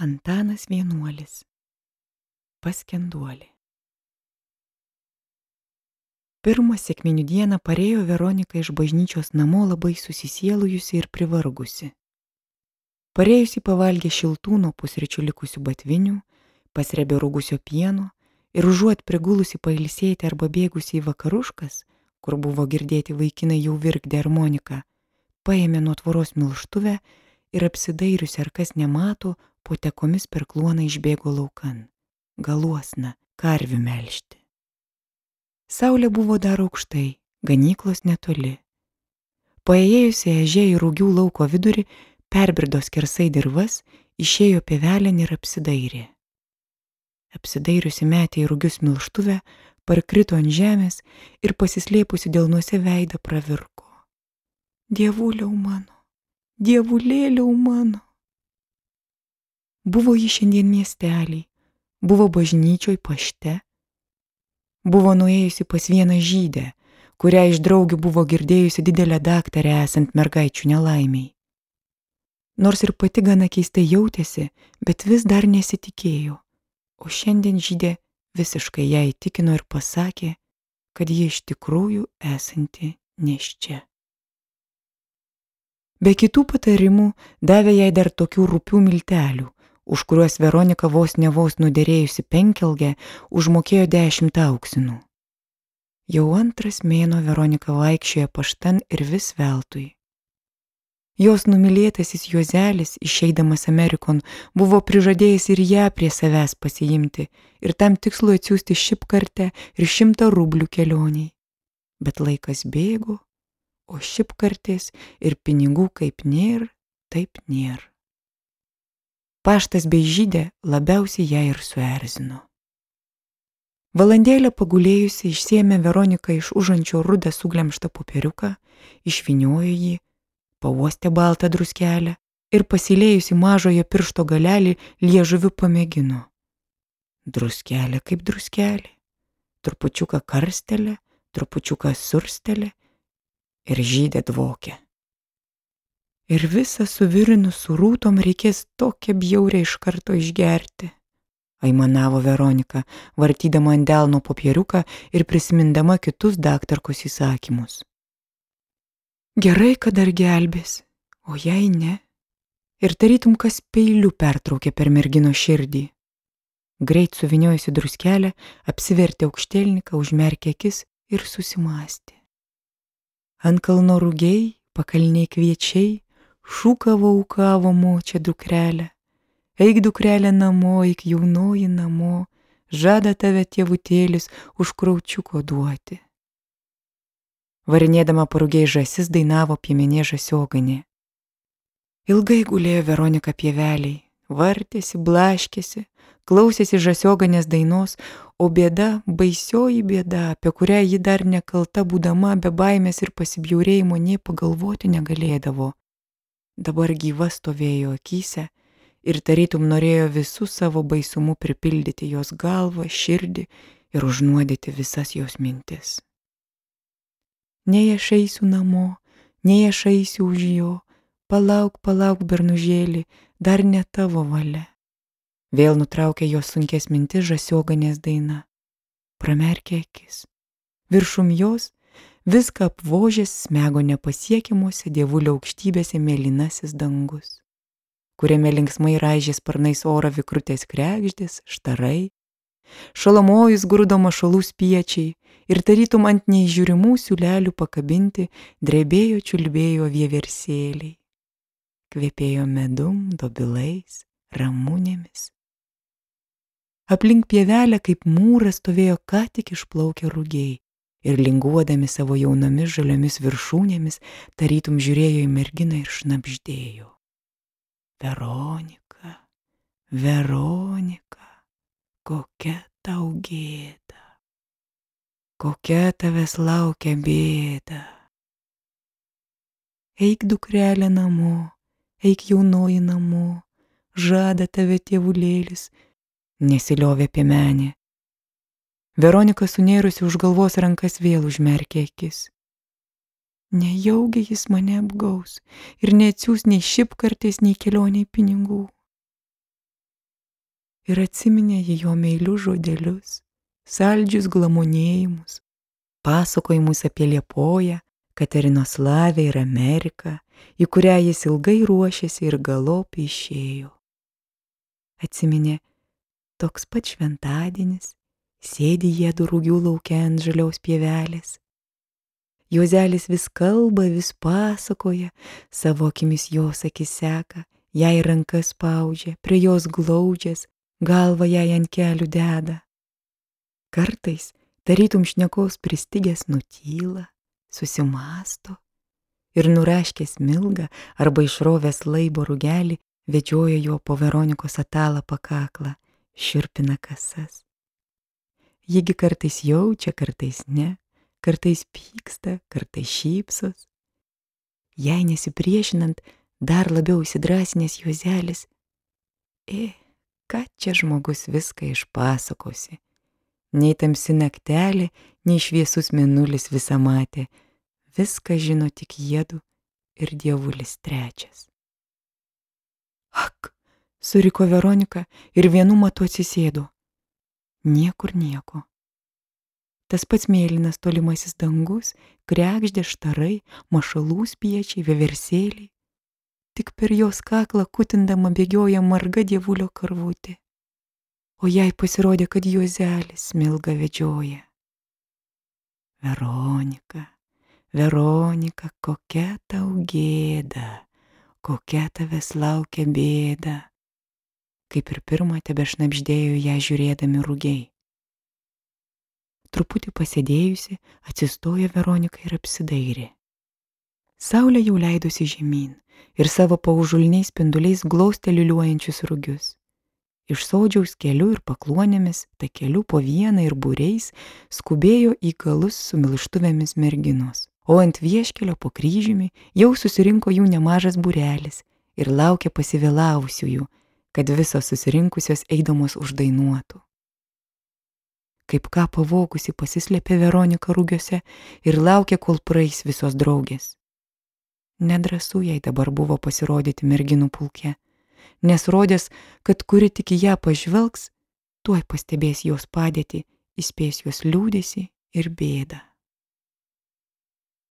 Antanas Vienuolis. Paskenduolė. Pirmą sekminių dieną parėjo Veronika iš bažnyčios namo labai susisielujusi ir privargusi. Parėjusi pavalgė šiltų nuo pusryčių likusių batvinių, pasrebė rūgusio pieno ir užuot prigulusi pailsėti arba bėgusi į vakaruškas, kur buvo girdėti vaikinai jau virkdė armoniką, paėmė nuo tvoros milštuvę ir apsidairiusi, ar kas nemato, po tekomis per kluoną išbėgo laukan, galuosna, karvių melžti. Saulė buvo dar aukštai, ganyklos netoli. Paėjėjusi ežė į Rūgių lauko vidurį, perbrido skersai dirvas, išėjo pievelėn ir apsidairė. Apsidairiusi metė į Rūgius milštuvę, parkrito ant žemės ir pasislėpusi delnuose veidą pravirko. Dievuliau mano, dievulėliau mano. Buvo ji šiandien miestelį, buvo bažnyčioj pašte, buvo nuėjusi pas vieną žydę, kurią iš draugių buvo girdėjusi didelę daktarę esant mergaičių nelaimiai. Nors ir pati gana keistai jautėsi, bet vis dar nesitikėjo, o šiandien žydė visiškai ją įtikino ir pasakė, kad ji iš tikrųjų esanti nėščia. Be kitų patarimų davė jai dar tokių rupių miltelių, už kuriuos Veronika vos nuderėjusi penkelgę užmokėjo 10 auksinų. Jau antras mėnuo Veronika vaikščiojo paštan ir vis veltui. Jos numylėtasis Juozelis, išeidamas Amerikon, buvo prižadėjęs ir ją prie savęs pasiimti ir tam tikslu atsiųsti šipkartę ir 100 rublių kelioniai. Bet laikas bėgo, o šipkartės ir pinigų kaip nėr, taip nėr. Paštas bei žydė labiausiai ją ir suerzino. Valandėlę pagulėjusi išsiėmė Veronika iš užančio rudą suglemštą popieriuką, išvyniojo jį, pauostė baltą druskelę ir pasilėjusi mažojo piršto galelį liežuviu pamėgino. Druskelė kaip druskelė, trupučiuką karstelė, trupučiuką surstelė ir žydė dvokė. Ir visą suvirinus su rūtom reikės tokią bjaurę iš karto išgerti, aimanavo Veronika, vartydama ant delno popieriuką ir prisimindama kitus daktarkos įsakymus. Gerai, kad dar gelbės, o jei ne, ir tarytum kas peiliu pertraukė per mergino širdį. Greit suviniojusi druskelę, apsivertė aukštielniką, užmerkė akis ir susimąstė. Ant kalno rugiai, pakalniai kviečiai, šūkavo ūkavo močia dukrelė. Eik dukrelė namo, eik jaunoji namo, žada tave tėvutėlis už kraučiuko duoti. Varinėdama parugiai žąsis dainavo piemenė žąsioganė. Ilgai gulėjo Veronika pieveliai, vartėsi, blaškėsi, klausėsi žąsioganės dainos, o bėda, baisioji bėda, apie kurią ji dar nekalta būdama be baimės ir pasibjaurėjimo nė pagalvoti negalėdavo, dabar gyva stovėjo akyse ir tarytum norėjo visų savo baisumu pripildyti jos galvą, širdį ir užnuodyti visas jos mintis. Nei aš eisiu namo, nei aš eisiu už jo, palauk, palauk, bernužėlį, dar ne tavo valia. Vėl nutraukė jos sunkės mintis žąsioganės daina. Pramerkė akis. Viršum jos viską apvožęs smego nepasiekiamuose dievulio aukštybėse mėlynasis dangus, kuriame linksmai raižė sparnais orą vikrutės kregždės, štarai, šalamojus grūdo mašalų spiečiai ir tarytum ant neįžiūrimų siūlelių pakabinti drebėjo čiulbėjo vieversėliai. Kvepėjo medum, dobilais, ramunėmis. Aplink pievelę kaip mūras stovėjo ką tik išplaukę rugiai ir linguodami savo jaunomis žaliomis viršūnėmis tarytum žiūrėjo į merginą ir šnabždėjo. Veronika, Veronika, kokia tau gėda, kokia tavęs laukia bėda. Eik dukrelė namo, eik jaunoji namo, žada tave tėvulėlis, nesiliovė piemenė. Veronika sunėrusi už galvos rankas vėl užmerkė akis. Nejaugi jis mane apgaus ir neatsiųs nei šipkartės, nei kelioniai pinigų. ir atsiminė ji jo meilius žodelius, saldžius glamonėjimus, pasakojimus apie Liepoją, Katerinoslavę ir Ameriką, į kurią jis ilgai ruošėsi ir galop išėjo. Atsiminė toks pat šventadienis, sėdi jiedu Rugių lauke ant žaliaus pievelės. Juozelis vis kalba, vis pasakoja, savo akimis jos akis seka, jai rankas spaudžia, prie jos glaudžias, galvą jai ant kelių deda. Kartais, tarytum šnekos pristigęs nutyla, susimąsto ir nuraškęs Milgą arba išrovęs laibo rugelį, vedžioja jo po Veronikos atalą pakaklą, šiurpina kasas. Jigi kartais jaučia, kartais ne, kartais pyksta, kartais šypsos. Jai nesipriešinant, dar labiau įsidrasinęs Juozelis, ką čia žmogus viską išpasakosi. Nei tamsi naktelė, nei šviesus mėnulis visą matė, viską žino tik jiedu ir dievulis trečias. Ak, suriko Veronika ir vienu matu atsisėdo. Niekur nieko. Tas pats mėlynas tolimasis dangus, kregždė štarai, mašalų spiečiai, vieversėliai. Tik per jos kaklą kutindama bėgioja marga dievulio karvutė. O jai pasirodė, kad Juozelis Milgą vedžioja. Veronika, Veronika, kokia tau gėda, kokia tavęs laukia bėda. Kaip ir pirmą tebešnabždėjo ją žiūrėdami rugiai. Truputį pasėdėjusi, atsistojo Veronika ir apsidairė. Saulė jau leidosi žemyn ir savo paužulniais spinduliais glaustė liuliuojančius rugius. Iš sodžiaus keliu ir pakluonėmis, takeliu po vieną ir būriais skubėjo į galus su milštuvėmis merginos, o ant vieškelio po kryžiumi jau susirinko jų nemažas būrelis ir laukė pasivėlavusiųjų, kad visos susirinkusios eidamos uždainuotų. Kaip ką pavogusi pasislėpė Veronika rugiuose ir laukė, kol praeis visos draugės. Nedrąsu jai dabar buvo pasirodyti merginų pulke, nes rodės, kad kuri tik į ją pažvelgs, tuoj pastebės jos padėtį, įspės jos liūdesį ir bėdą.